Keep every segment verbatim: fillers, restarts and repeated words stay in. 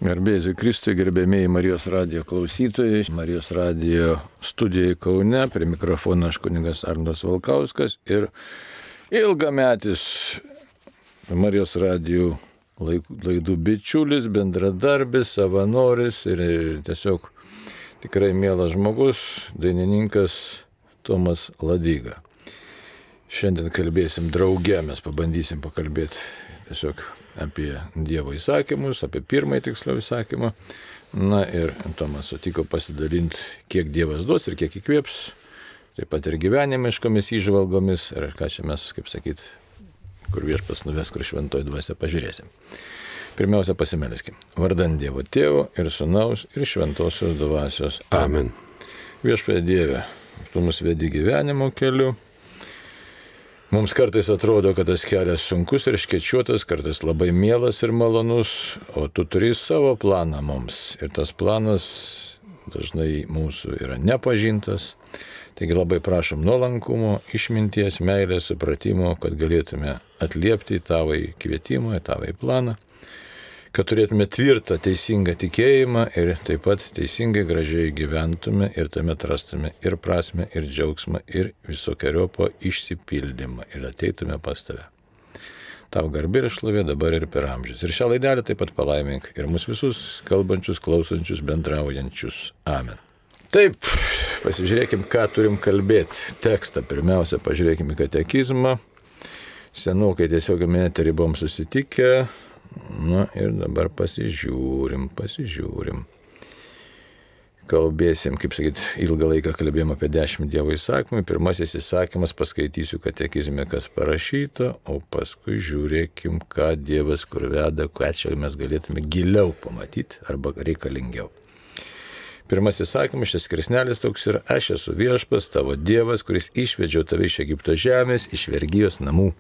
Garbėsiu Kristui, gerbėmėjai Marijos radijo klausytojai, Marijos radijo studijoje Kaune, prie mikrofono aš kunigas Arnas Valkauskas ir ilgametis Marijos radijo laidų bičiulis, bendradarbis, savanoris ir, ir tiesiog tikrai mielas žmogus, dainininkas Tomas Ladyga. Šiandien kalbėsim drauge, mes pabandysim pakalbėti tiesiog apie Dievo įsakymus, apie pirmąjį tiksliau įsakymą. Na ir Tomas sutiko pasidalinti, kiek Dievas duos ir kiek įkvėps, taip pat ir gyvenimiškomis įžvalgomis, ir ką čia mes, kaip sakyt, kur Viešpats nuves, kur šventoji dvasia, pažiūrėsim. Pirmiausia, pasimelskime. Vardan Dievo Tėvo ir Sūnaus ir Šventosios dvasios. Amen. Viešpatie Dieve, tu mus vedi gyvenimo keliu. Mums kartais atrodo, kad tas kelias sunkus ir škečiuotas, kartais labai mielas ir malonus, o tu turi savo planą mums. Ir tas planas dažnai mūsų yra nepažintas. Taigi labai prašom nuolankumo, išminties, meilės, supratimo, kad galėtume atliepti į tavo kvietimą, į tavo planą, kad turėtume tvirtą, teisingą tikėjimą ir taip pat teisingai, gražiai gyventume ir tame atrastume ir prasmę, ir džiaugsmą, ir visokiojopą išsipildymą ir ateitume pas tave. Tau garbė ir šlovė dabar ir per amžius. Ir šią laidelę taip pat palaimink ir mus visus kalbančius, klausančius, bendraujančius. Amen. Taip, pasižiūrėkim, ką turim kalbėti. Tekstą pirmiausia, pažiūrėkim į katekizmą. Senokai tiesiog eterį buvom susitikę. Na ir dabar pasižiūrim, pasižiūrim. Kalbėsim, kaip sakyt, ilgą laiką kalbėjom apie dešimt Dievo įsakymų. Pirmasis įsakymas paskaitysiu katekizme, kas parašyta, o paskui žiūrėkim, ką Dievas kur veda, ką čia mes galėtume giliau pamatyti arba reikalingiau. Pirmasis įsakymas, šis skirsnelis toks yra: aš esu Viešpats, tavo Dievas, kuris išvedžiau tave iš Egipto žemės, iš vergijos namų.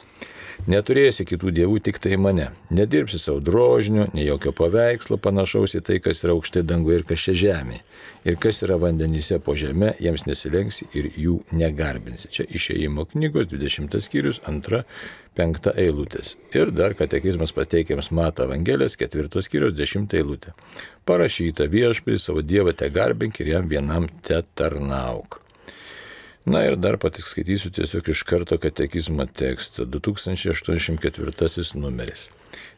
Neturėsi kitų dievų, tik tai mane. Nedirbsi savo drožinio, nei jokio paveikslo panašaus į tai, kas yra aukštai danguje ir kas čia žemė. Ir kas yra vandenyse po žeme, jiems nesilenksi ir jų negarbinsi. Čia Išėjimo knygos dvidešimtas skyrius, antra, penkta eilutės. Ir dar katekizmas pateikiamas Mato Evangelijos ketvirtos skyrius, dešimta eilutė. Parašyta: Viešpatie savo Dievą te garbink ir jam vienam te tarnauk. Na ir dar patys skaitysiu tiesiog iš karto katekizmo tekstą, du tūkstančiai aštuoniasdešimt ketvirtasis numeris.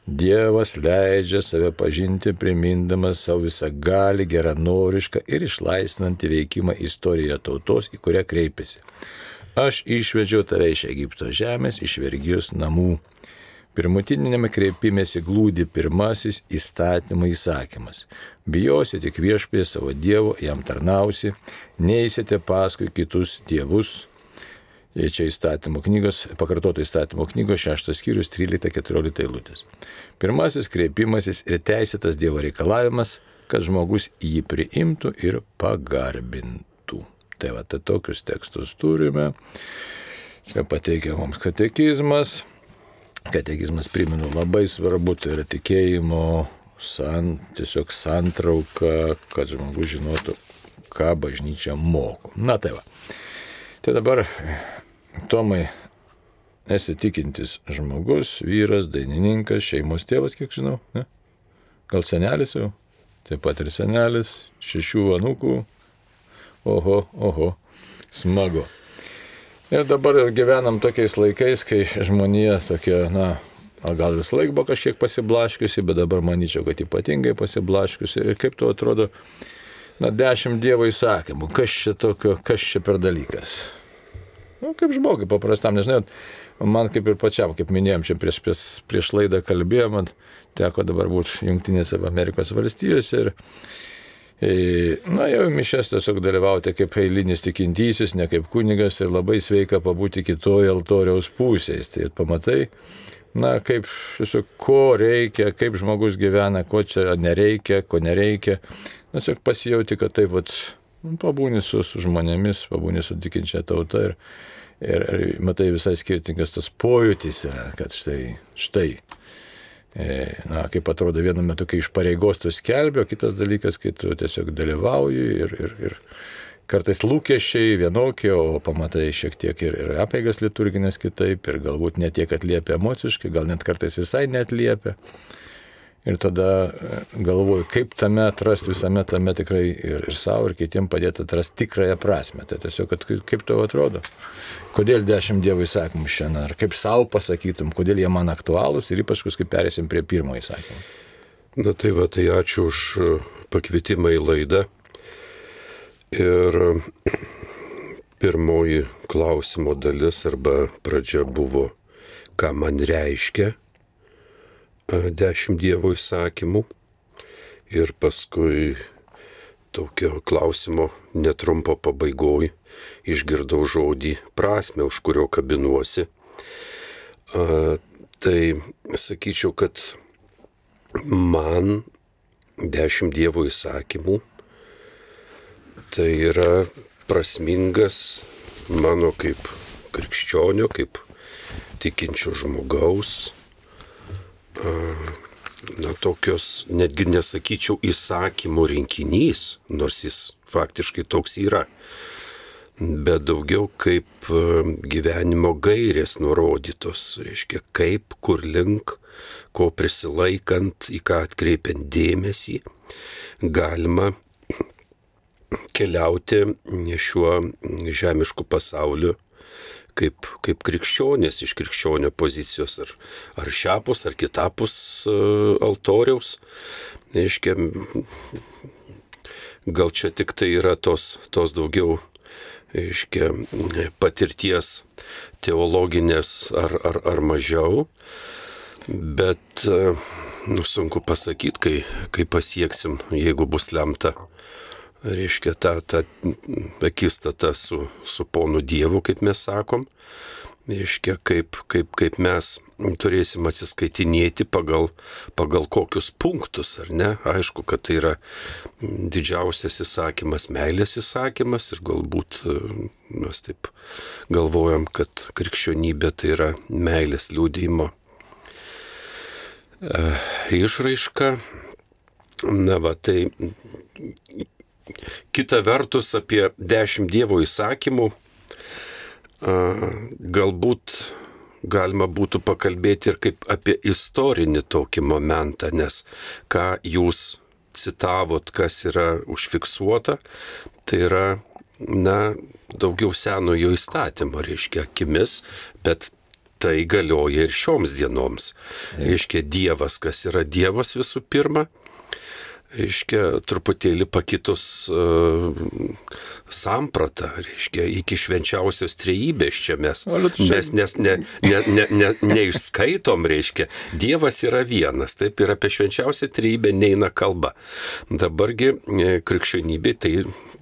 Dievas leidžia save pažinti, primindamas savo visą gali, geranorišką ir išlaisvinantį veikimą istorijoje tautos, į kurią kreipiasi. Aš išvedžiau tave iš Egipto žemės, iš vergijos namų. Pirmutinėme kreipimėsi glūdi pirmasis įstatymo įsakymas. Bijosi tik Viešpatie savo Dievo, jam tarnausi, neisite paskui kitus dievus. Čia įstatymo knygos, pakartoto įstatymo knygos šeštas skyrius, trylikta keturiolikta eilutės. Pirmasis kreipimasis ir teisėtas Dievo reikalavimas, kad žmogus jį priimtų ir pagarbintų. Tai va, tai tokius tekstus turime. Čia pateikia mums katekizmas. Katekizmas, primenu, labai svarbu, tai yra tikėjimo san, tiesiog santrauka, kad žmogus žinotų, ką bažnyčia moko. Na tai va. Tai dabar, Tomai, esi tikintis žmogus, vyras, dainininkas, šeimos tėvas, kiek žinau, ne? Gal senelis jau? Taip pat ir senelis, šešių anūkų. Oho, oho, smagu. Ir dabar gyvenam tokiais laikais, kai žmonija tokia, na, gal vis laik buvo kažkiek pasiblaškiusi, bet dabar manyčiau, kad ypatingai pasiblaškiusi. Ir kaip tu atrodo, na, dešimt Dievo įsakymų. Kas čia tokio, kas čia per dalykas? Nu, kaip žmogui paprastam, nežinau, man kaip ir pačiam, kaip minėjom, čia prieš, prieš, prieš laidą kalbėjom, man teko dabar būti Jungtinėse Amerikos valstijose ir na, jau mišias tiesiog dalyvauti kaip eilinis tikintysis, ne kaip kunigas, ir labai sveika pabūti kitoje altoriaus pusės. Tai pamatai, na, kaip, tiesiog, ko reikia, kaip žmogus gyvena, ko čia nereikia, ko nereikia. Na, tiesiog pasijauti, kad taip, vat, pabūni su, su žmonėmis, pabūni su tikinčia tauta ir, ir, ir matai visai skirtingas tas pojūtis yra, kad štai, štai. Na, kaip atrodo vienu metu, kai iš pareigos tu skelbi, o kitas dalykas, kai tu tiesiog dalyvauji ir, ir, ir kartais lūkesčiai vienokie, o pamatai šiek tiek ir, ir apeigas liturginės kitaip, ir galbūt ne tiek atliepia emociškai, gal net kartais visai neatliepia. Ir tada galvoju, kaip tame atrasti visame tame tikrai ir, ir savo, ir kitiem padėti atrasti tikrąją prasme. Tai tiesiog, kad, kaip tau atrodo, kodėl dešimt Dievo įsakymų šiandien, ar kaip savo pasakytum, kodėl jie man aktualūs ir ypač, kai perėsim prie pirmo įsakymo. Na tai va, tai ačiū už pakvietimą į laidą. Ir pirmoji klausimo dalis arba pradžia buvo, ką man reiškia dešimt Dievo įsakymų. Ir paskui tokio klausimo netrumpo pabaigoj išgirdau žodį prasme, už kurio kabinuosi. A, tai sakyčiau, kad man dešimt Dievo įsakymų tai yra prasmingas mano kaip krikščionio, kaip tikinčio žmogaus, na tokios, netgi nesakyčiau įsakymų rinkinys, nors jis faktiškai toks yra, bet daugiau kaip gyvenimo gairės nurodytos, reiškia kaip, kur link, ko prisilaikant, į ką atkreipiant dėmesį, galima keliauti šiuo žemišku pasauliu kaip, kaip krikščionės iš krikščionio pozicijos, ar, ar šiapus, ar kitapus uh, altoriaus. Reiškia, gal čia tik tai yra tos, tos daugiau, reiškia, patirties teologinės ar, ar, ar mažiau, bet uh, nu, sunku pasakyti, kai, kai pasieksim, jeigu bus lemta, reiškia, ta, ta akistata su, su ponu Dievu, kaip mes sakom, reiškia, kaip, kaip, kaip mes turėsim atsiskaitinėti pagal, pagal kokius punktus, ar ne? Aišku, kad tai yra didžiausias įsakymas, meilės įsakymas ir galbūt mes taip galvojam, kad krikščionybė tai yra meilės liudijimo e, išraiška. Na va, tai kita vertus apie dešimt Dievo įsakymų galbūt galima būtų pakalbėti ir kaip apie istorinį tokį momentą, nes ką jūs citavot, kas yra užfiksuota, tai yra, na, daugiau senojo įstatymo, reiškia, akimis, bet tai galioja ir šioms dienoms. Reiškia, Dievas, kas yra Dievas visų pirma, reiškia, truputėlį pakitus uh, sampratą, reiškia, iki švenčiausios trejybės čia mes, mes nes ne, ne, ne, ne, neišskaitom, reiškia, Dievas yra vienas, taip ir apie švenčiausią trejybę neina kalba. Dabargi krikščionybė tai,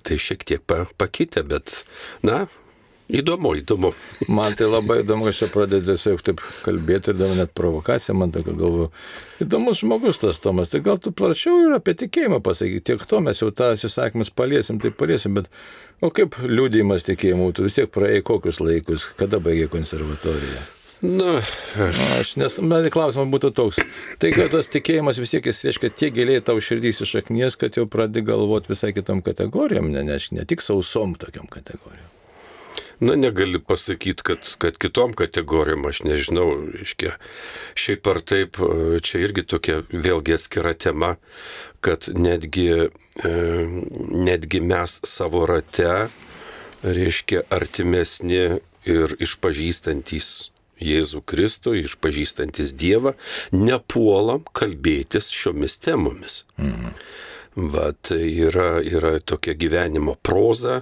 tai šiek tiek pa, pakitė, bet, na, įdomu, įdomu. Man tai labai įdomu, aš čia pradedu tiesiog taip kalbėti ir dar net provokacija, man tokia galvoju. Įdomus žmogus tas Tomas, tai gal tu plačiau ir apie tikėjimą pasakyti, tiek to mes jau tą įsakymus paliesim, tai paliesim, bet o kaip liudijimas tikėjimų, tu vis tiek praėjai kokius laikus, kada baigė konservatoriją? Na, aš... aš nes, man klausimas būtų toks, tai kad tas tikėjimas vis tiek jis reiškia tiek giliai tau širdys išaknies, kad jau pradedi galvoti visai kitom kategorijom, ne, ne, ne tik sausom tokiam kategorijom. Na, negali pasakyti, kad, kad kitom kategorijom, aš nežinau, reiškia, šiaip ar taip, čia irgi tokia vėlgi atskira tema, kad netgi, e, netgi mes savo rate, reiškia, artimesni ir išpažįstantys Jėzų Kristų, išpažįstantys Dievą, nepuolam kalbėtis šiomis temomis. Mhm. Va, tai yra, yra tokia gyvenimo proza,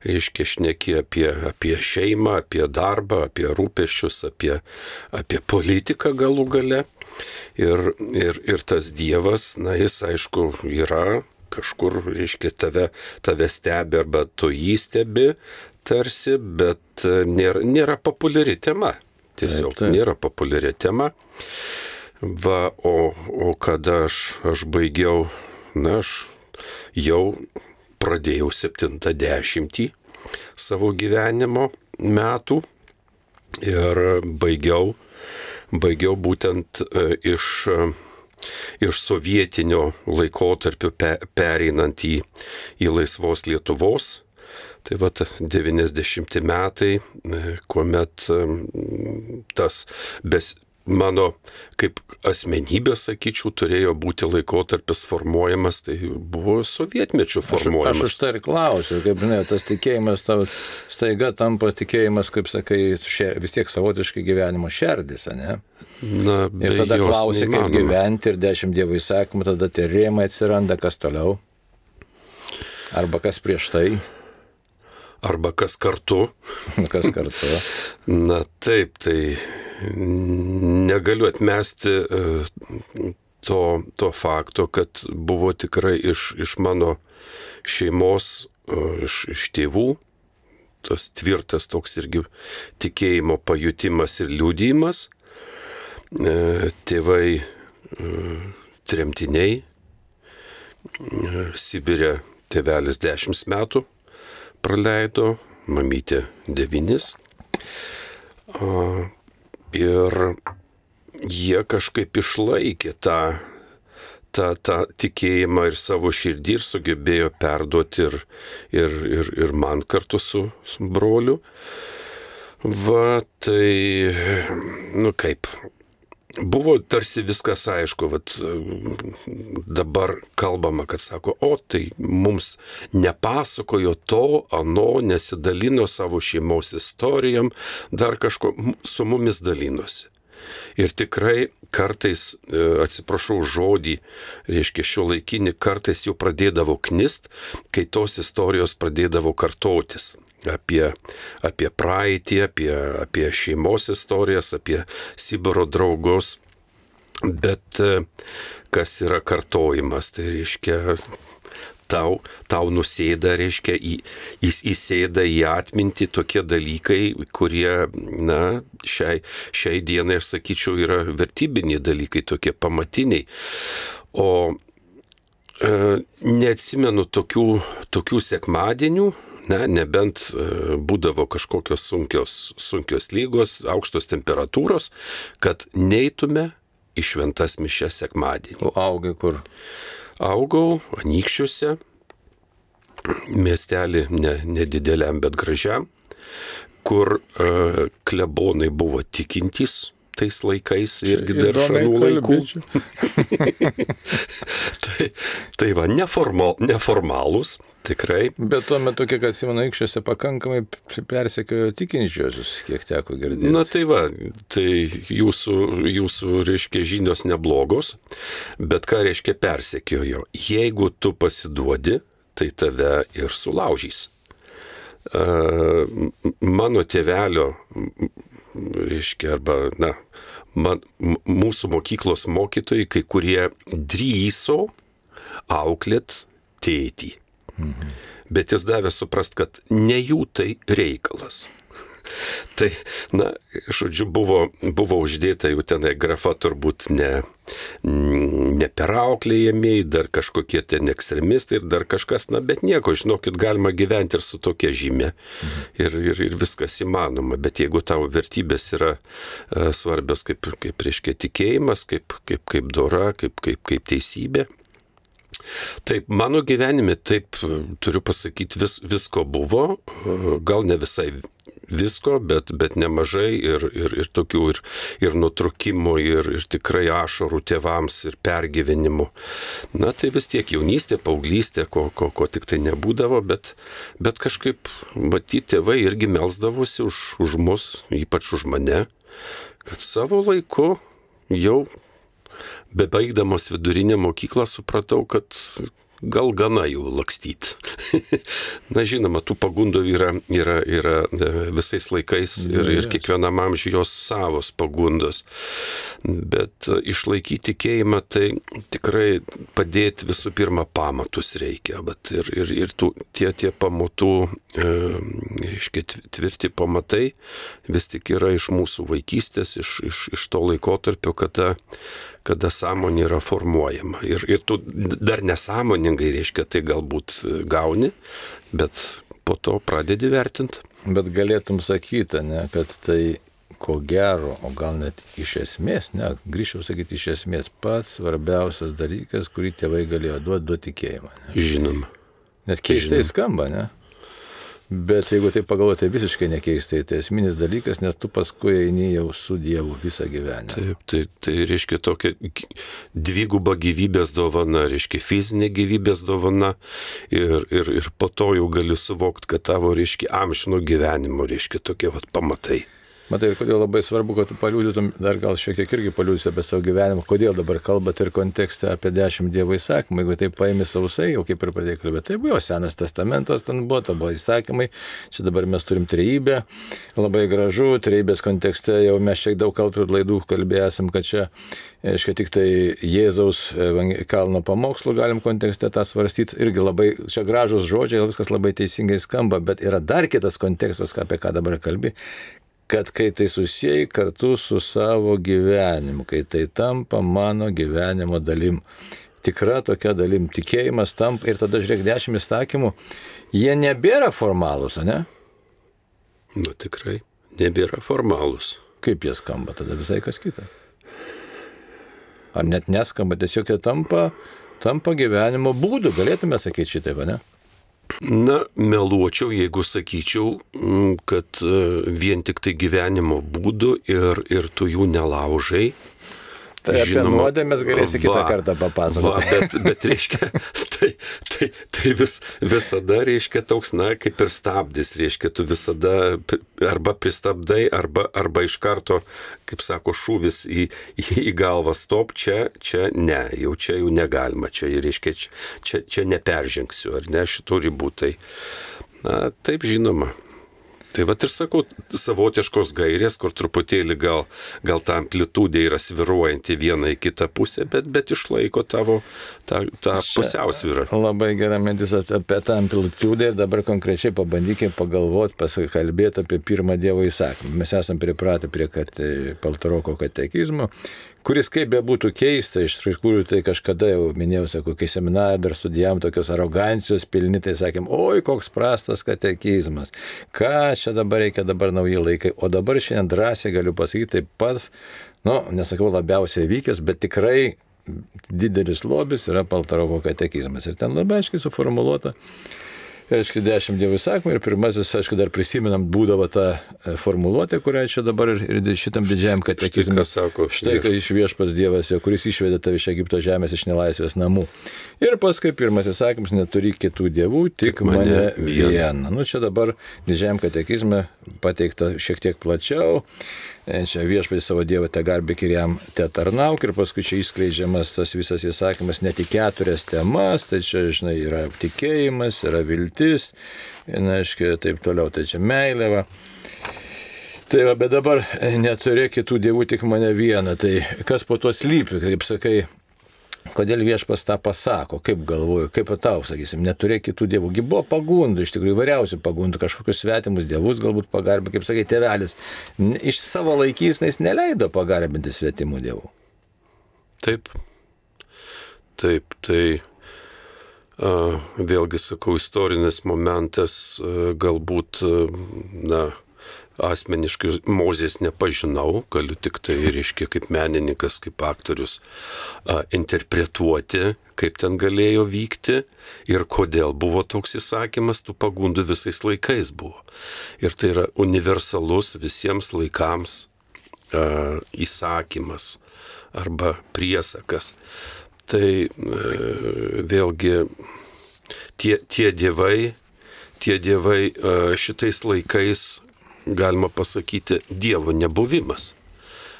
reiškia, šneki apie, apie šeimą, apie darbą, apie rūpesčius, apie, apie politiką galų gale. Ir, ir, ir tas Dievas, na, jis aišku yra kažkur, reiškia, tave, tave stebi arba tu jį stebi tarsi, bet nėra, nėra populiari tema. Tiesiog taip, taip. Nėra populiari tema. Va, o, o kada aš, aš baigiau, na, aš jau pradėjau septintą dešimtį savo gyvenimo metų ir baigiau, baigiau būtent iš, iš sovietinio laikotarpio pe, pereinant į, į laisvos Lietuvos. Tai vat devyniasdešimti metai, kuomet tas bes, mano kaip asmenybė, sakyčiau, turėjo būti laikotarpis formuojamas, tai buvo sovietmečių formuojamas. Aš, aš už tai ir klausiu, kaip žinai, tas tikėjimas tavo staiga tampa tikėjimas, kaip sakai, šer, vis tiek savotiškai gyvenimo šerdis, ne? Na, ir tada klausi, kaip gyventi ir dešimt Dievo įsakymų, tada tie rėmai atsiranda, kas toliau? Arba kas prieš tai? Arba kas kartu. Kas kartu. Na taip, tai negaliu atmesti to, to fakto, kad buvo tikrai iš, iš mano šeimos, iš, iš tėvų, tas tvirtas toks irgi tikėjimo pajutimas ir liudijimas. Tėvai tremtiniai, Sibire tėvelis dešimt metų praleido, mamytė devynis. Ir jie kažkaip išlaikė tą, tą, tą tikėjimą ir savo širdį ir sugebėjo perduoti ir, ir, ir, ir man kartu su, su broliu. Va, tai, nu kaip, buvo tarsi viskas aišku, vat, dabar kalbama, kad sako, o tai mums nepasakojo to, ano, nesidalino savo šeimos istorijom, dar kažko, su mumis dalinosi. Ir tikrai kartais, atsiprašau žodį, reiškia šio laikinį, kartais jau pradėdavo knist, kai tos istorijos pradėdavo kartotis. Apie, apie praeitį, apie, apie šeimos istorijas, apie Sibiro draugus. Bet kas yra kartojimas, tai reiškia tau, tau nusėda, reiškia į, į, įsėda į atmintį tokie dalykai, kurie, na, šiai, šiai dienai, aš sakyčiau, yra vertybiniai dalykai, tokie pamatiniai. O e, neatsimenu tokių, tokių sekmadienių, ne, nebent būdavo kažkokios sunkios, sunkios lygos, aukštos temperatūros, kad neitume į šventas mišias sekmadienį. O augai kur? Augau Anykščiuose, miestelį ne, nedideliam, bet gražiam, kur uh, klebonai buvo tikintys tais laikais irgi dar šanų laikų. tai, tai va, neformal, neformalūs. Tikrai. Bet tuo metu, kiek atsimenu, Anykščiuose pakankamai persekiojo tikinčiuosius, kiek teko girdėti. Na tai va, tai jūsų, jūsų, reiškia, žinios neblogos, bet ką reiškia persekiojo? Jeigu tu pasiduodi, tai tave ir sulaužys. Mano tėvelio, reiškia, arba, na, man, mūsų mokyklos mokytojai, kai kurie drįso auklėt tėtį. Mhm. Bet jis davė suprast, kad ne jų tai reikalas. Tai, na, žodžiu, buvo, buvo uždėta jau tenai grafa turbūt ne, ne perauklėjamiai, dar kažkokie ten ekstremistai ir dar kažkas, na, bet nieko, žinokit, galima gyventi ir su tokia žymė. Mhm. Ir, ir, ir viskas įmanoma. Bet jeigu tavo vertybės yra uh, svarbios kaip, kaip reiškia tikėjimas, kaip, kaip, kaip dora, kaip, kaip, kaip teisybė, taip, mano gyvenime, taip, turiu pasakyti, vis, visko buvo, gal ne visai visko, bet, bet nemažai ir, ir, ir tokių ir, ir nutrūkimų, ir, ir tikrai ašarų tėvams, ir pergyvenimų. Na, tai vis tiek jaunystė, paauglystė, ko, ko, ko tik tai nebūdavo, bet, bet kažkaip, matyti, tėvai irgi melsdavosi už, už mus, ypač už mane, kad savo laiku jau bebaigdamas vidurinę mokyklą supratau, kad gal gana jau lakstyti. Na, žinoma, tų pagundų yra, yra, yra visais laikais ir, ir kiekvienam amžiui jos savos pagundos. Bet išlaikyti tikėjimą, tai tikrai padėti visų pirma pamatus reikia. Bet ir, ir, ir tų, tie, tie pamatų, e, tvirti pamatai vis tik yra iš mūsų vaikystės, iš, iš, iš to laikotarpio, kada kada sąmonė yra formuojama. Ir, ir tu dar nesąmoningai, reiškia, tai galbūt gauni, bet po to pradedi vertinti. Bet galėtum sakyti, ne, kad tai ko gero, o gal net iš esmės, ne, grįžčiau sakyti iš esmės, pats svarbiausias dalykas, kurį tėvai galėjo duoti, duoti tikėjimą. Ne? Žinoma. Net keistai skamba, ne? Bet jeigu tai pagalvoti, tai visiškai nekeistai, tai esminis dalykas, nes tu paskui eini jau su Dievu visą gyvenimą. Taip, tai, tai reiškia tokia dviguba gyvybės dovana, reiškia fizinė gyvybės dovana ir, ir, ir po to jau gali suvokti, kad tavo, reiškia, amžino gyvenimo, reiškia, tokie vat pamatai. Matai, ir kodėl labai svarbu, kad tu paliūdytum, dar gal šiek tiek irgi paliūdysi apie savo gyvenimą, kodėl dabar kalbate ir kontekste apie dešimt Dievo įsakymų, jeigu tai paimi sausai, jau kaip ir pradėjai kalbėti, tai buvo Senas testamentas, ten buvo, tai buvo įsakymai, čia dabar mes turim trejybę, labai gražu, trejybės kontekste jau mes šiek daug kaltų laidų kalbėjom, kad čia, aiškiai, tik tai Jėzaus kalno pamokslų galim kontekste tą svarstyti, irgi labai, čia gražus žodžiai, viskas labai teisingai skamba, bet yra dar kitas kontekstas, apie ką dabar kalbi, kad kai tai susijai kartu su savo gyvenimu, kai tai tampa mano gyvenimo dalim, tikra tokia dalim, tikėjimas tampa ir tada žiūrėk, dešimt įsakymų, jie nebėra formalūs, ne? Na tikrai, nebėra formalūs. Kaip jie skamba, tada visai kas kita. Ar net neskamba, tiesiog jie tampa, tampa gyvenimo būdu, galėtume sakyti šitaip, ne? Na, meluočiau, jeigu sakyčiau, kad vien tik tai gyvenimo būdu ir, ir tu jų nelaužai. Tai apie nuodėmės galėsi kitą kartą papasakoti. Va, bet, bet reiškia, tai, tai, tai vis, visada, reiškia, toks, na, kaip ir stabdis, reiškia, tu visada arba pristabdai, arba, arba iš karto, kaip sako, šūvis į, į, į galvą, stop, čia, čia ne, jau čia jau negalima, čia, reiškia, čia, čia, čia neperžengsiu, ar ne, šitų ribų, tai, na, taip žinoma. Tai vat ir sakau, savotiškos gairės, kur truputėlį gal, gal ta amplitudė yra sviruojanti vieną į kitą pusę, bet, bet išlaiko tavo tą, tą pusiausvyrą. Labai gera mintis apie tą amplitudę ir dabar konkrečiai pabandykime pagalvoti, pasikalbėti apie pirmą Dievo įsakymą. Mes esame pripratę prie Paltaroko katekizmo, kuris kaip be būtų keista, iš tikrųjų tai kažkada jau minėjau, sakau, kai seminarą dar studijavom tokios arogancijos pilni, tai sakėm, oi, koks prastas katekizmas, ką čia dabar reikia, dabar nauji laikai, o dabar šiandien drąsiai galiu pasakyti, tai pats, nu, nesakau labiausiai vykęs, bet tikrai didelis lobis yra Paltaroko katekizmas ir ten labai aiškiai suformuluota. Aišku, dešimt Dievo įsakymų ir pirmasis, aišku, dar prisimenam, būdavo tą formuluotę, kurią čia dabar ir šitam didžiajam katekizme sako. Štai, kai iš viešpas Dievas, jo, kuris išvedė tave iš Egipto žemės, iš nelaisvės namų. Ir paskui pirmasis įsakymas, neturi kitų dievų, tik, tik mane vieną. Nu, čia dabar didžiajam katekizme pateikta šiek tiek plačiau. Čia viešpats savo Dievą te garbėk ir jam te tarnauk ir paskui čia išskleidžiamas tas visas įsakymas ne tik keturias temas, tai čia, žinai, yra tikėjimas, yra viltis, na, aiškiai, taip toliau, tai čia meilė, va. Tai va, bet dabar neturi kitų dievų, tik mane vieną, tai kas po to slypi, kaip sakai, kodėl viešpas tą pasako, kaip galvoju, kaip tau, sakysim, neturė kitų dievų. Gi buvo pagundų, iš tikrųjų įvairiausių pagundų, kažkokius svetimus dievus galbūt pagarbė, kaip sakai, tėvelis. Iš savo laikysnais neleido pagarbinti svetimų dievų. Taip, taip, tai a, vėlgi sakau, istorinis momentas, a, galbūt, a, na, asmeniškai Mozės nepažinau, galiu tik tai, reiškia, kaip menininkas, kaip aktorius a, interpretuoti, kaip ten galėjo vykti ir kodėl buvo toks įsakymas, tų pagundų visais laikais buvo. Ir tai yra universalus visiems laikams a, įsakymas arba priesakas. Tai a, vėlgi tie, tie dievai, tie dievai a, šitais laikais galima pasakyti Dievo nebuvimas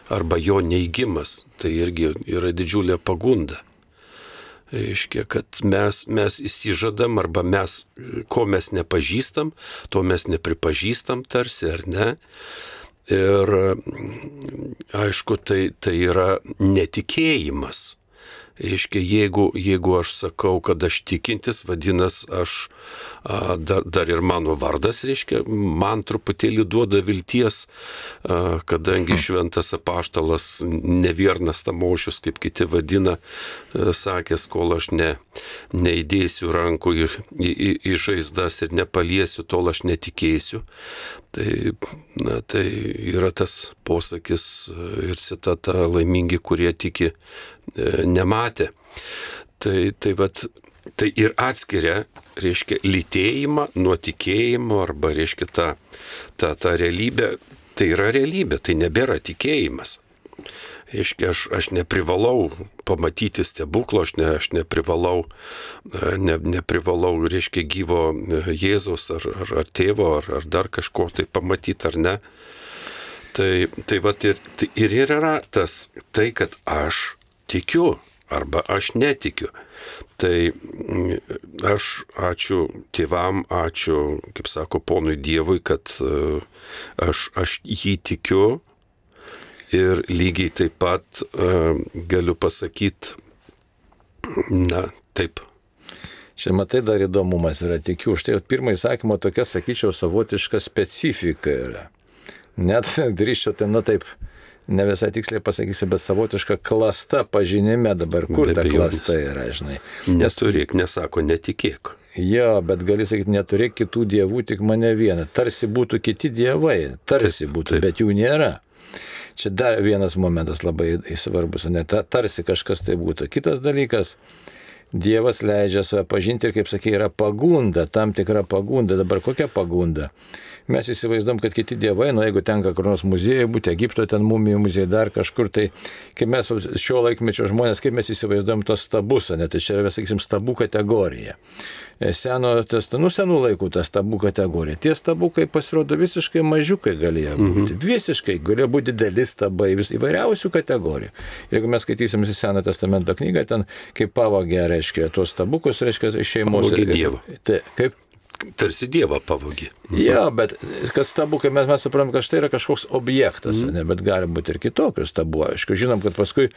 arba jo neigimas, tai irgi yra didžiulė pagunda. Reiškia, kad mes, mes įsižadam arba mes, ko mes nepažįstam, to mes nepripažįstam tarsi, ar ne. Ir aišku, tai, tai yra netikėjimas. Reiškia, jeigu, jeigu aš sakau, kad aš tikintis, vadinas, aš a, dar, dar ir mano vardas, reiškia, man truputėlį duoda vilties, a, kadangi šventas apaštalas Neviernas Tamošius, kaip kiti vadina, a, sakęs, kol aš ne, neįdėsiu rankų į, į, į, į žaizdas ir nepaliesiu, tol aš netikėsiu. Tai, na, tai yra tas posakis ir citata, laimingi, kurie tiki, nematė. Tai, tai, vat, tai ir atskiria reiškia, lytėjimą nuo tikėjimo arba, reiškia, ta, ta, ta realybė, tai yra realybė, tai nebėra tikėjimas. Reiškia, aš, aš neprivalau pamatyti stebuklo, aš, ne, aš neprivalau, ne, neprivalau, reiškia, gyvo Jėzaus ar, ar, ar tėvo, ar, ar dar kažko tai pamatyti, ar ne. Tai, tai vat ir, tai ir yra tas, tai, kad aš tikiu arba aš netikiu. Tai aš ačiū tėvam, ačiū, kaip sako, ponui Dievui, kad aš, aš jį tikiu. Ir lygiai taip pat uh, galiu pasakyti, na, taip. Čia matai dar įdomumas yra, tikiu. Štai pirmą įsakymą tokia, sakyčiau, savotiška specifika yra. Net drįščiau, tai, nu taip, ne visai tiksliai pasakysiu, bet savotiška klasta pažinime dabar. Kur ta klasta yra, žinai? Neturėk, nesako, netikėk. Jo, bet gali sakyti, neturėk kitų dievų, tik mane vieną. Tarsi būtų kiti dievai, tarsi būtų, taip, bet jų nėra. Čia dar vienas momentas labai svarbus, ne tarsi kažkas tai būtų. Kitas dalykas, Dievas leidžia save pažinti ir, kaip sakė, yra pagunda, tam tikra pagunda. Dabar kokia pagunda? Mes įsivaizduom, kad kiti dievai, nu jeigu tenka kur nors muziejai būti, Egipto ten mumijų muziejai, dar kažkur, tai kaip mes šio laikmečio žmonės, kaip mes įsivaizduom tos stabus, ne, tai čia yra, sakysim, stabų kategorija. Seno, tas, nu, senų laikų ta stabų kategorija. Tie stabukai pasirodo visiškai mažiukai galėjo būti. Mhm. Visiškai galėjo būti dideli stabai, vis, įvairiausių kategorijų. Ir jeigu mes skaitysim į Seno testamento knygą, ten kaip pavogė, reiškia, tuos stabukus, reiškia, šeimos. Pavogė Dievą. Tai, kaip? Tarsi Dievą pavogė. Mhm. Jo, bet kas stabukai, mes, mes suprantam, kad štai yra kažkoks objektas, mhm. ne, bet gali būti ir kitokių stabų. Aišku, žinom, kad paskui,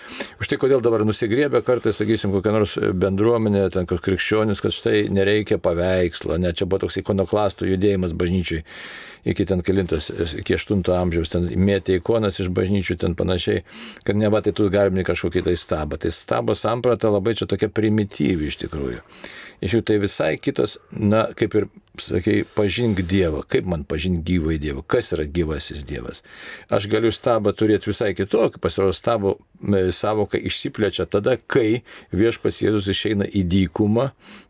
už tai kodėl dabar nusigriebė kartais, sakysim, kokia nors bendruomenė, ten koks krikščionis, kad štai nereikia paveikslo, ne, čia buvo toks ikonoklastų judėjimas bažnyčiai iki ten kelintos, iki aštunto amžiaus, ten mėtė ikonas iš bažnyčių, ten panašiai, kad neva tai tu garbini kažkokį tai stabą. Tai stabo samprata labai čia tokia primityvi iš tikrųjų. Iš jų tai visai kitas, na, kaip ir, sakai, pažink Dievą. Kaip man pažinti gyvą Dievą? Kas yra gyvasis Dievas? Aš galiu stabą turėti visai kitokį, pasirodo stabo savoka išsiplečia tada, kai viešpats Jėzus išeina į dykumą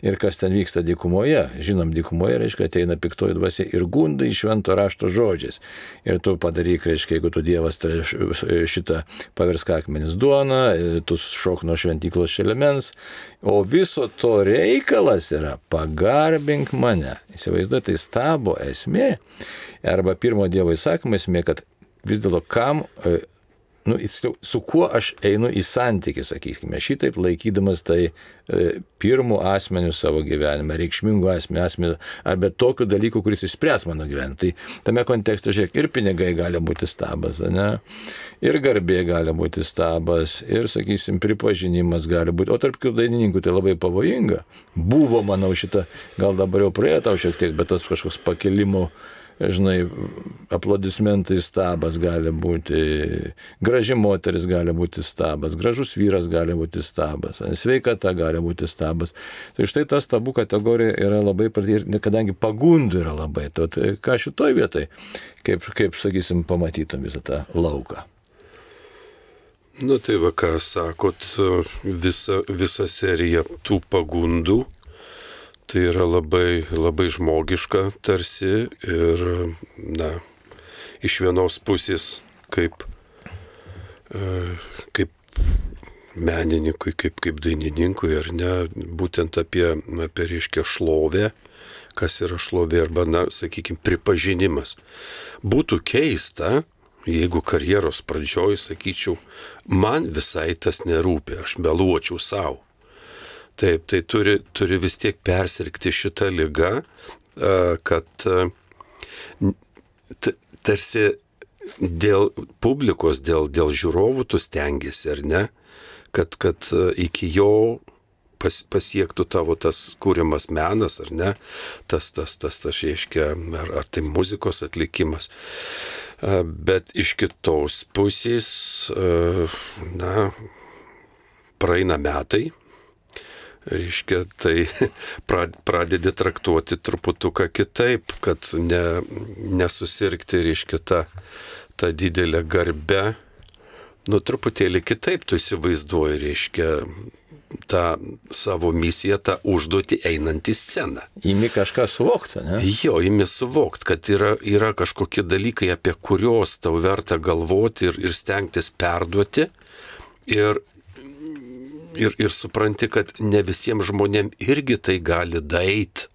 ir kas ten vyksta dykumoje. Žinom, dykumoje, reiškia, ateina piktoji dvasia ir gunda iš švento rašto žodžiais. Ir tu padaryk, reiškia, jeigu tu Dievas tai šitą paversk akmenis duoną, tu šok nuo šventyklos šelemens, o viso to reikalas yra pagarbink mane. Įsivaizduoju, tai stabo esmė, arba pirmo Dievo įsakymo esmė, kad vis dėlto kam, nu, su kuo aš einu į santykį, sakykime, šitaip laikydamas tai e, pirmų asmenių savo gyvenime, reikšmingų asmenių, asmenių, arba tokių dalykų, kuris išspręs mano gyvenimą. Tai tame kontekste, žiūrėk, ir pinigai gali būti stabas, ne? Ir garbė gali būti stabas, ir, sakysim, pripažinimas gali būti. O tarp kitų dainininkų tai labai pavojinga. Buvo, manau, šitą, gal dabar jau praėjo tau šiek tiek, bet tas kažkoks pakilimo, žinai, aplodismentai stabas gali būti, graži moteris gali būti stabas, gražus vyras gali būti stabas, sveikata gali būti stabas. Tai štai ta stabų kategorija yra labai, ir kadangi pagundų yra labai, to, tai ką šitoj vietai, kaip, kaip, sakysim, pamatytum visą tą lauką. Nu tai va, ką sakot, visa, visa serija tų pagundų, tai yra labai, labai žmogiška tarsi ir, na, iš vienos pusės kaip, kaip menininkui, kaip, kaip dainininkui, ar ne, būtent apie, apie reiškia šlovę, kas yra šlovė, arba, na, sakykime, pripažinimas. Būtų keista, jeigu karjeros pradžioj sakyčiau, man visai tas nerūpi, aš meluočiau savo. Taip, tai turi, turi vis tiek persirgti šitą ligą, kad tarsi dėl publikos, dėl, dėl žiūrovų tu stengiasi, ar ne, kad, kad iki jo pas, pasiektų tavo tas kūrimas menas, ar ne, tas, tas, tas, tas, reiškia, ar, ar tai muzikos atlikimas. Bet iš kitos pusės, na, praeina metai, reiškia, tai pradedi traktuoti truputuką kitaip, kad ne, nesusirgti, reiškia, tą, tą didelę garbę, nu truputėlį kitaip tu įsivaizduoji, reiškia, tą savo misiją, tą užduotį einant į sceną. Įmi kažką suvokti, ne? Jo, įmi suvokti, kad yra, yra kažkokie dalykai, apie kuriuos tau verta galvoti ir, ir stengtis perduoti. Ir, ir, ir supranti, kad ne visiems žmonėms irgi tai gali daeit.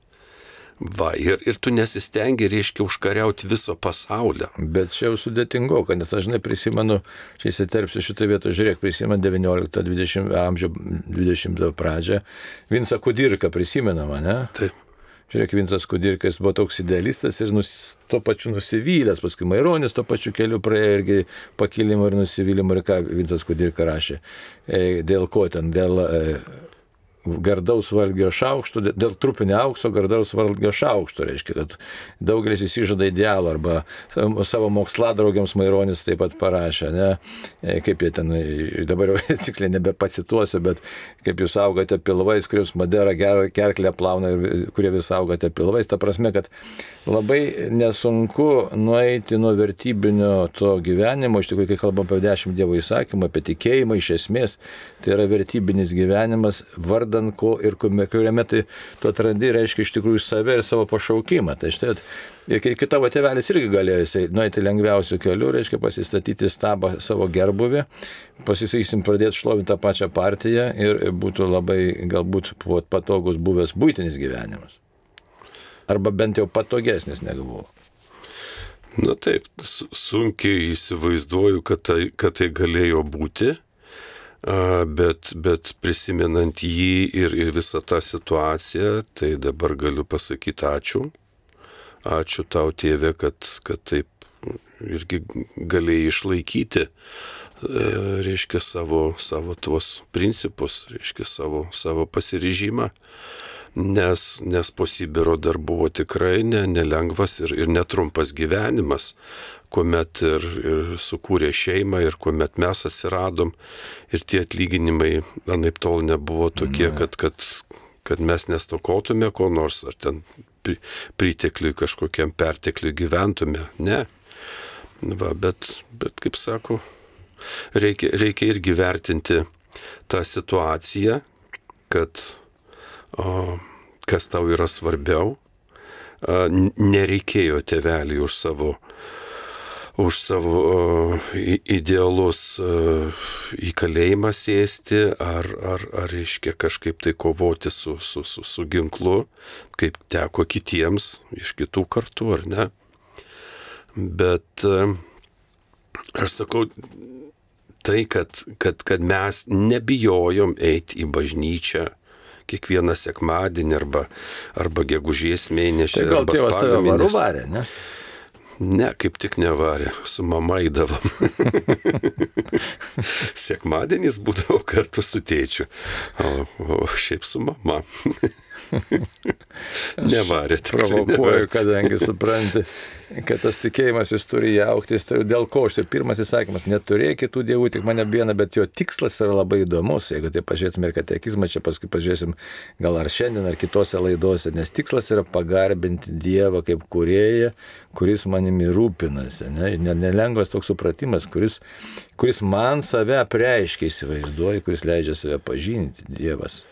Va, ir, ir tu nesistengi, reiškia, užkariauti viso pasaulio. Bet čia jau sudėtingo, kad nes aš žinai prisimenu, čia įsiterpsiu šitą vietą, žiūrėk, prisimenu devyniolikto dvidešimto amžiaus dvidešimto pradžią. Vincą Kudirką prisimenama, ne? Taip. Žiūrėk, Vincas Kudirkas buvo toks idealistas ir nus, tuo pačiu nusivylęs, paskui Maironis tuo pačiu keliu praėjo irgi pakilimo ir nusivylimo, ir ką Vincas Kudirka rašė. E, dėl ko ten, dėl... E, gardaus valgio šaukšto, dėl trupinio aukso gardaus valgio šaukšto, reiškia, kad daugelis įsižada idealų, arba savo moksladraugiams Maironis taip pat parašė, ne, kaip jie ten, dabar jau tiksliai nebepacituosiu, bet kaip jūs augote pilvais, kuriuos Madera kerklę plauna ir kurie vis augote pilvais, ta prasme, kad labai nesunku nueiti nuo vertybinio to gyvenimo, iš tikrųjų, kai kalbam apie dešimt Dievo įsakymų, apie tikėjimą iš esmės, tai yra vertybinis gyvenimas, vardan ko ir kuriame tai tu atrandi, reiškia iš tikrųjų save ir savo pašaukimą. Tai štai, kai tavo tėvelis irgi galėjo nueiti lengviausių kelių, reiškia pasistatyti stabą savo gerbuvį, pasisakysim pradėti šlovinti tą pačią partiją ir būtų labai galbūt patogus buvęs buitinis gyvenimas. Arba bent jau patogesnis negu buvo. Na taip, sunkiai įsivaizduoju, kad tai, kad tai galėjo būti. Bet, bet prisimenant jį ir, ir visą tą situaciją, tai dabar galiu pasakyti ačiū. Ačiū tau, tėve, kad, kad taip irgi galėjai išlaikyti, reiškia, savo, savo tuos principus, reiškia, savo, savo pasiryžimą. Nes, nes po Sibiro dar buvo tikrai ne, nelengvas ir, ir netrumpas gyvenimas, kuomet ir, ir sukūrė šeimą ir kuomet mes atsiradom ir tie atlyginimai anaip tol nebuvo tokie, ne. kad, kad, kad mes nestokotume ko nors, ar ten pritekliui kažkokiam pertekliui gyventume. Ne. Va, bet, bet kaip sako, reikia, reikia irgi vertinti tą situaciją, kad o, kas tau yra svarbiau. A, nereikėjo tėvelį už savo už savo uh, idealus uh, į kalėjimą sėsti, ar, ar, ar reiškia kažkaip tai kovoti su, su, su, su ginklu, kaip teko kitiems iš kitų kartų, ar ne. Bet uh, aš sakau, tai, kad, kad, kad mes nebijojom eiti į bažnyčią kiekvieną sekmadienį arba, arba gegužės mėnesį. Tai gal tėvas tave varu varė, ne? Ne, kaip tik nevarė, su mama eidavom. Sekmadienis būdavo kartu su tėčiu, o, o šiaip su mama. Nevarė. Provokuoju, kadangi supranti, kad tas tikėjimas jis turi augti, jis turi dėl ko. Štai pirmas įsakymas, neturėk kitų dievų, tik mane vieną, bet jo tikslas yra labai įdomus. Jeigu tai pažiūrėtume ir katekizmą, čia paskui pažiūrėsim gal ar šiandien, ar kitose laidose, nes tikslas yra pagarbinti Dievą kaip kūrėją, kuris manimi rūpinasi. Ne? Nelengvas toks supratimas, kuris, kuris man save apreiškia, įsivaizduoja, kuris leidžia save pažinti, Dievas.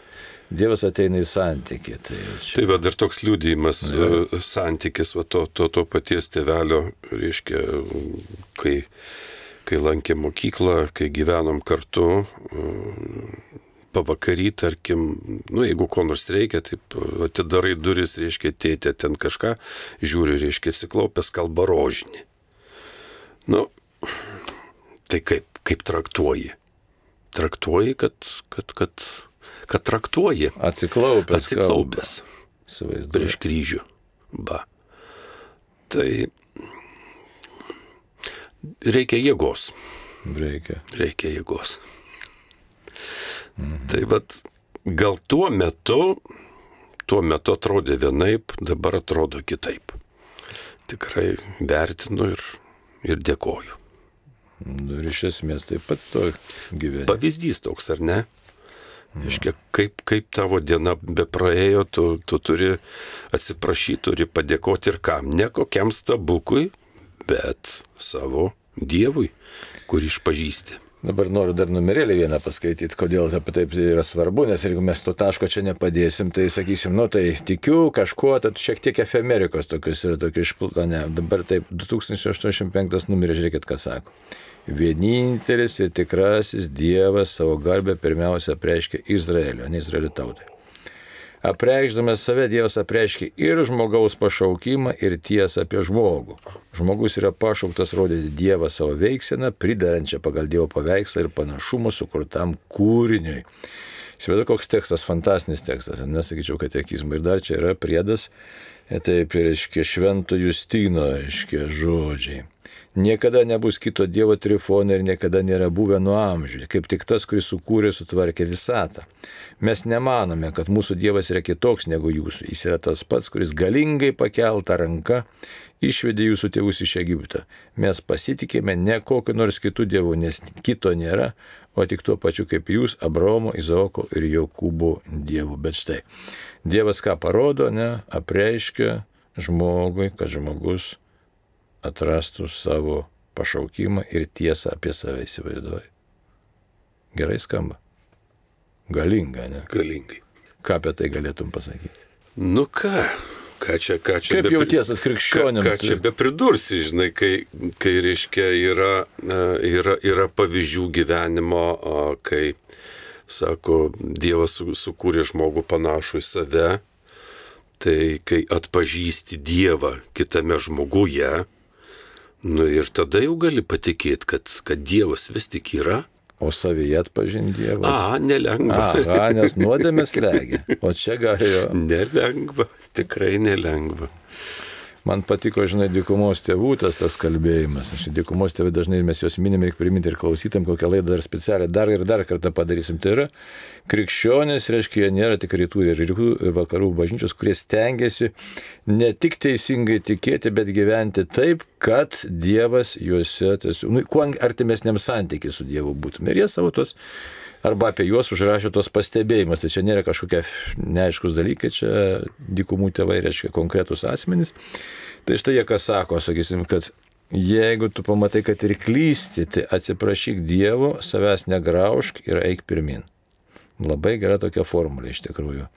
Dievas ateina į santykį. Tai, čia... tai va, dar toks liudijimas, ja. Santykis va, to, to, to paties tėvelio, reiškia, kai, kai lankė mokyklą, kai gyvenom kartu, pavakarį, tarkim, nu, jeigu ko nors reikia, taip atidarai duris, reiškia, tėtė ten kažką, žiūri, reiškia, atsiklaupęs kalba rožinį. Nu, tai kaip, kaip traktuoji? Traktuoji, kad... kad, kad kad traktuoji. Atsiklaupęs. Atsiklaupęs. Prieš kryžių. Ba. Tai reikia jėgos. Reikia. Reikia jėgos. Mhm. Tai vat, gal tuo metu, tuo metu atrodė vienaip, dabar atrodo kitaip. Tikrai vertinu ir, ir dėkoju. Ir iš esmės taip pat to gyvenimo. Pavyzdys toks, ar ne? Iškia, kaip, kaip tavo diena be praėjo, tu, tu turi atsiprašyti, turi padėkoti ir kam. Ne kokiam stabukui, bet savo Dievui, kurį išpažįsti. Dabar noriu dar numerėlį vieną paskaityti, kodėl apie taip yra svarbu, nes jeigu mes to taško čia nepadėsim, tai sakysim, nu tai tikiu kažkuo, tad šiek tiek efemerikos tokius yra tokių išplūta, ne, dabar taip, du tūkstančiai aštuoniasdešimt penktas numeris, žiūrėkit, ką sako. Vienintelis ir tikrasis Dievas savo garbę pirmiausia apreiškia Izraelio, ne Izraelio tautai. Apreikšdamas save, Dievas apreiškia ir žmogaus pašaukimą, ir tiesą apie žmogų. Žmogus yra pašauktas rodyti Dievą savo veiksieną, pridarančią pagal Dievo paveikslą ir panašumą sukurtam kūriniui. Įsivaizduoju, koks tekstas, fantastinis tekstas, nesakyčiau katekizmą. Ir dar čia yra priedas, taip, reiškia, Švento Justino, reiškia, žodžiai. Niekada nebus kito Dievo trifonai ir niekada nėra buvę nuo amžių, kaip tik tas, kuris sukūrė ir sutvarkė visatą. Mes nemanome, kad mūsų Dievas yra kitoks negu jūsų. Jis yra tas pats, kuris galingai pakeltą ranką išvedė jūsų tėvus iš Egipto. Mes pasitikėme ne kokiu nors kitų dievų, nes kito nėra, o tik tuo pačiu kaip jūs, Abraomo, Izaoko ir Jokūbo dievų. Bet štai, Dievas ką parodo, ne, apreiškia žmogui, kad žmogus atrastų savo pašaukimą ir tiesą apie save, įsivaizduoji. Gerai skamba. Galinga, ne? Galingai. Ką apie tai galėtum pasakyti? Nu ką, ką čia, ką čia... Kaip jauties atkrikščionim? Ką, ką čia bepridursi, žinai, kai, kai reiškia, yra, yra, yra pavyzdžių gyvenimo, kai, sako, Dievas sukūrė žmogų panašų į save, tai kai atpažįsti Dievą kitame žmoguje, nu ir tada jau gali patikėti, kad, kad Dievas vis tik yra. O savyje atpažinti Dievą. A, nelengva. A, nes nuodėmės legia. O čia galėjo. Nelengva, tikrai nelengva. Man patiko, žinai, dykumos tėvų tas toks kalbėjimas. Aš dykumos tėvai dažnai mes juos minim, reikia priminti ir klausytam, kokią laidą dar specialią dar ir dar kartą padarysim. Tai yra krikščionys, reiškia, jie nėra tik rytų ir rytų ir vakarų bažnyčios, kurie stengiasi ne tik teisingai tikėti, bet gyventi taip, kad Dievas juose, tiesiog, nu, kuo artimesniam santykiai su Dievu būtume. Ir jie savo tos, arba apie juos užrašė tos pastebėjimus. Tai čia nėra kažkokie neaiškus dalykai, čia dykumų tėvai reiškia konkretus asmenys. Tai štai jie ką sako, sakysim, kad jeigu tu pamatai, kad ir klysti, tai atsiprašyk Dievo, savęs negraužk ir eik pirmin. Labai gera tokia formulė iš tikrųjų.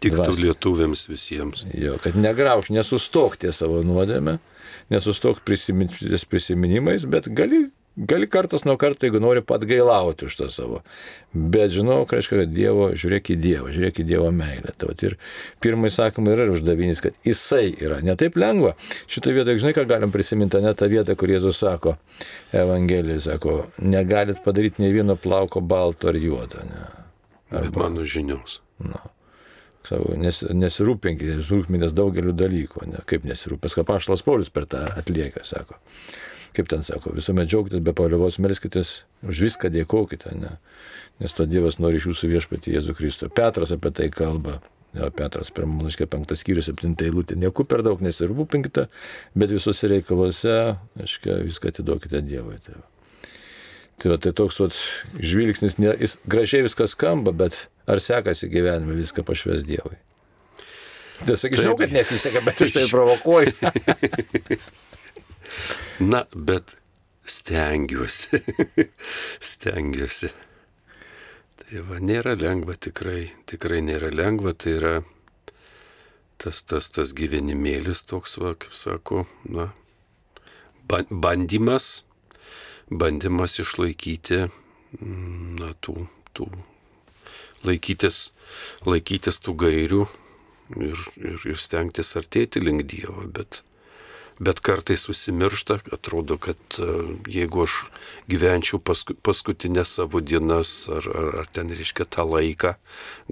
Tiktų lietuviams visiems. Jo, kad negraužk, nesustok ties savo nuodėmę, nesustok prisimin, ties prisiminimais, bet gali, gali kartas nuo karto, jeigu nori, atgailauti už tą savo. Bet žinau, reiškia, kad Dievo, žiūrėk į Dievą, žiūrėk į Dievo meilę. Tai ir pirmai sakoma yra uždavinys, kad Jisai yra. Ne taip lengva. Šitą vietą, žinai, ką galim prisiminti, ne tą vietą, kur Jėzus sako, Evangelijai sako, negalit padaryti nei vieno plauko balto ar juodo. Ne. Arba, bet mano žinios. Na, savo, nes, nesirūpinkite, rūpinės daugeliu dalykų. Ne, kaip nesirūpės, kaip apaštalas Paulius per tą atlieka, sako. Kaip ten sako, visuomet džiaugtis, be paliovos melskitės, už viską dėkokite, ne? Nes to Dievas nori iš jūsų viešpatį Jėzų Kristų. Petras apie tai kalba. Jo, Petras pirmam laiške penktas skyrius septinta eilutė. Nieku per daug nesirūpinkite, bet visose reikaluose, aiškia, viską atiduokite Dievui. Tai, tai, va, tai toks vat, žvilgsnis, ne, jis, gražiai viskas skamba, bet ar sekasi gyvenime viską pašvęs Dievui? Tai sakyčiau, kad nesiseka, bet aš tai provokuoju. Na, bet stengiuosi, stengiuosi. Tai va, nėra lengva, tikrai, tikrai nėra lengva, tai yra tas, tas, tas gyvenimėlis toks, va, kaip sako, na, bandymas, bandymas išlaikyti, na, tų, tų, laikytis, laikytis tų gairių ir, ir, ir stengtis artėti link Dievo, bet Bet kartais susimiršta, atrodo, kad jeigu aš gyvenčiau pasku, paskutinės savo dienas ar, ar, ar ten reiškia tą laiką,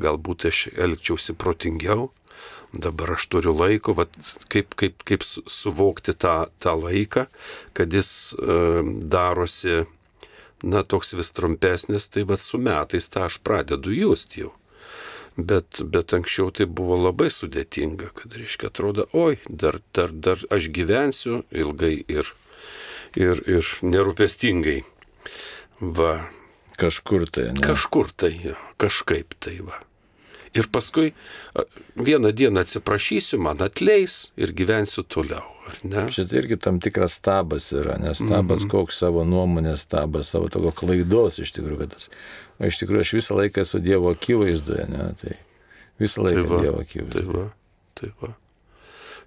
galbūt aš elgčiausi protingiau, dabar aš turiu laiko, vat, kaip, kaip, kaip suvokti tą, tą laiką, kad jis e, darosi, na, toks vis trumpesnis, tai vat su metais tą aš pradedu just jau. Bet, bet anksčiau tai buvo labai sudėtinga, kad, reiškia, atrodo, oi, dar, dar, dar aš gyvensiu ilgai ir, ir, ir nerūpestingai. Va. Kažkur tai, ne? Kažkur tai, ja, kažkaip tai, va. Ir paskui vieną dieną atsiprašysiu, man atleis ir gyvensiu toliau. Ne? Šitą irgi tam tikras stabas yra, nes stabas mm-hmm. koks savo nuomonės stabas, savo tokio klaidos iš tikrųjų, kad tas, o iš tikrųjų aš visą laiką esu Dievo akivaizdoje, ne, tai visą laiką tai va, Dievo akivaizdoje. Tai va, tai va.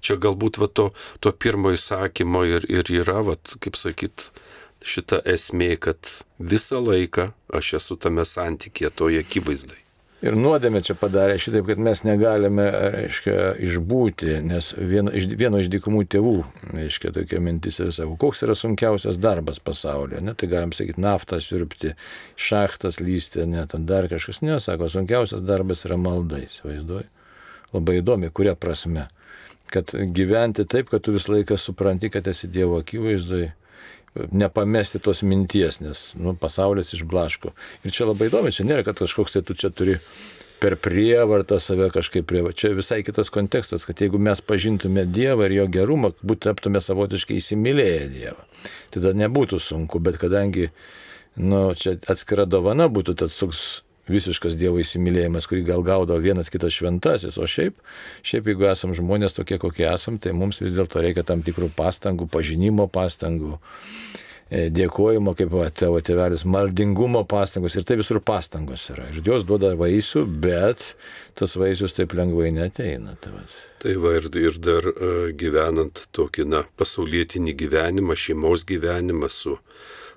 Čia galbūt va to, to pirmo įsakymo ir, ir yra, va, kaip sakyt, šita esmė, kad visą laiką aš esu tame santykėje, toje akivaizdai. Ir nuodėmė čia padarė šitaip, kad mes negalime, reiškia, išbūti, nes vieno iš, vieno iš dykumų tėvų, reiškia, tokia mintis ir sako, koks yra sunkiausias darbas pasaulyje, ne, tai galim sakyti, naftą siurbti, šachtas lysti, ne, ten dar kažkas, ne, sako, sunkiausias darbas yra malda, įsivaizduoji. Labai įdomi, kuria prasme, kad gyventi taip, kad tu visą laiką supranti, kad esi Dievo akivaizdoje, nepamesti tos minties, nes nu, pasaulis išblaško. Ir čia labai įdomi, čia nėra, kad kažkoks tai tu čia turi per prievartą save kažkaip prievartą. Čia visai kitas kontekstas, kad jeigu mes pažintume Dievą ir jo gerumą, būtų taptume savotiškai įsimylėję Dievą. Tada nebūtų sunku, bet kadangi nu, čia atskira dovana būtų tas toks visiškas Dievo įsimylėjimas, kurį gal gaudo vienas kitas šventasis, o šiaip, šiaip jeigu esam žmonės tokie, kokie esam, tai mums vis dėlto reikia tam tikrų pastangų, pažinimo pastangų, dėkojimo, kaip tėvo tėvelis, maldingumo pastangos ir tai visur pastangos yra. Ir Dievas duoda vaisių, bet tas vaisius taip lengvai neteina. Tai va, tai va ir, ir dar uh, gyvenant tokį, na, pasaulietinį gyvenimą, šeimos gyvenimą su,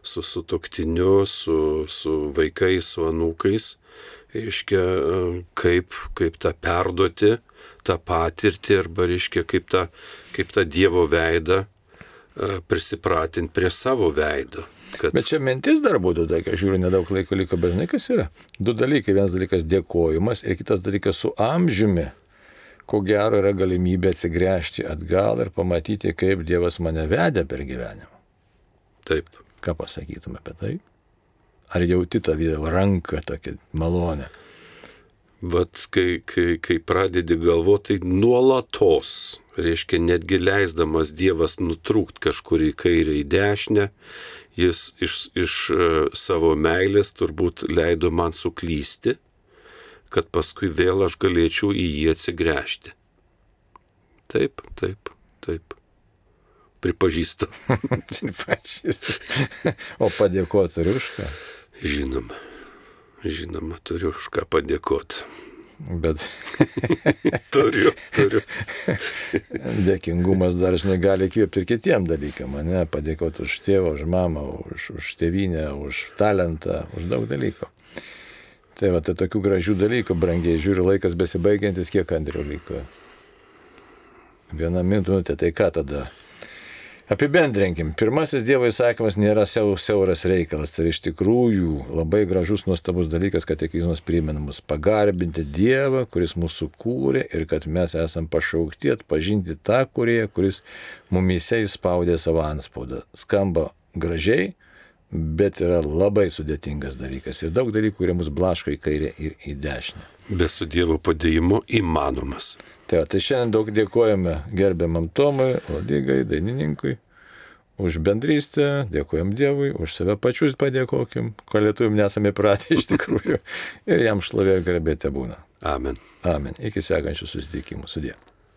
su sutuoktiniu, su, su vaikais, su anūkais, reiškia, kaip, kaip tą perduoti, tą patirtį, arba, reiškia, kaip tą, kaip tą Dievo veidą prisipratinti prie savo veido. Kad... Bet čia mintis dar būtų, tai, kai žiūriu, nedaug laiko liko, bet žinai, kas yra? Du dalykai, vienas dalykas dėkojimas ir kitas dalykas su amžiumi, ko gero yra galimybė atsigręžti atgal ir pamatyti, kaip Dievas mane vedė per gyvenimą. Taip. Ką pasakytume apie tai? Ar jauti tą ranką tokią malonę? Bet kai, kai, kai pradedi galvoti, tai nuolatos, reiškia, netgi leisdamas Dievas nutrūkt kažkur į kairę, į dešinę, jis iš, iš savo meilės turbūt leido man suklysti, kad paskui vėl aš galėčiau į jį atsigręžti. Taip, taip, taip. Pripažįstu. Pripažįstu. O padėkoti turiu už ką? Žinoma, žinoma, turiu už ką padėkoti. Bet turiu, turiu. Dėkingumas dar žinai gali įkvėpti ir kitiem dalykam, ne? Padėkoti už tėvą, už mamą, už, už tėvynę, už talentą, už daug dalykų. Tai va, tai tokių gražių dalykų, brangiai, žiūriu, laikas besibaigiantis, kiek Andriau liko? Viena minutė, tai ką tada? Apibendrinkim. Pirmasis Dievo įsakymas nėra siauras reikalas. Tai iš tikrųjų labai gražus, nuostabus dalykas, kad katekizmas primena mus pagarbinti Dievą, kuris mūsų kūrė ir kad mes esam pašaukti atpažinti tą kūrėją, kuris mumyse įspaudė savo antspaudą. Skamba gražiai, bet yra labai sudėtingas dalykas. Ir daug dalykų, kurie mus blaško į kairę ir į dešinę. Be su Dievo padėjimo įmanomas. Tai, tai šiandien daug dėkojame gerbiamam Tomui, Ladigai, dainininkui, už bendrystę, dėkojam Dievui, už save pačius padėkokim, ko lietuvim nesame pratę iš tikrųjų, ir jam šlovė ir garbė tebūna. Amen. Amen. Iki sekančių susitikimų. Sudie.